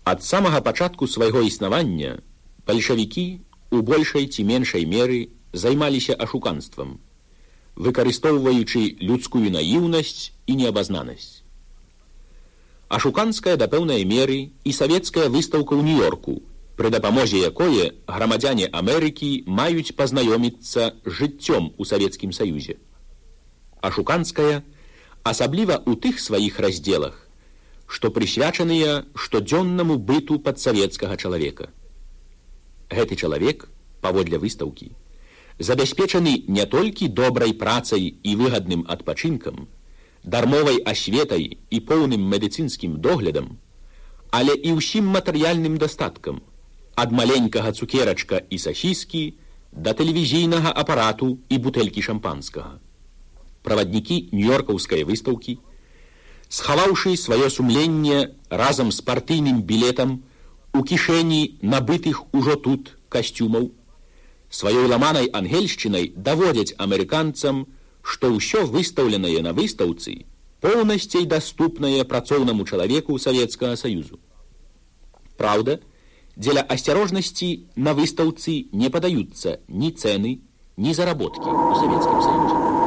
Ад самага пачатку свайго існавання бальшавікі у большай ці меншай меры займаліся ашуканствам, выкарыстоўваючы людскую наіўнасць і неабазнанасць. Ашуканская да пэўнай меры і савецкая выстаўка ў Нью-Йорку, пры дапамозе якое грамадзяне Амерыкі маюць пазнаёміцца з жыццём у Савецкім Саюзе. Ашуканская асабліва ў тых сваіх раздзелах, што прысвячаныя штодзённаму быту падсавецкага чалавека. Гэты чалавек, паводле выстаўкі, забяспечаны не толькі добрай працай і выгадным адпачынкам, дармовай асветай і поўным медыцынскім доглядам, але і ўсім матэрыяльным дастаткам, ад маленькага цукерачка і сасіскі да тэлевізійнага апарату і бутэлькі шампанскага. Праваднікі нью-йоркаўскай выстаўкі, схаваўшы сваё сумленне разам з партыйным білетам у кішэні набытых ужо тут касцюмаў, сваёй ламанай ангельшчынай даводзяць амерыканцам, што ўсё выстаўленае на выстаўцы поўнасцей даступнае працоўнаму чалавеку Савецкага Саюзу. Праўда, дзеля асцярожнасці на выстаўцы не падаюцца ні цэны, ні заработкі ў Савецкім Саюзе.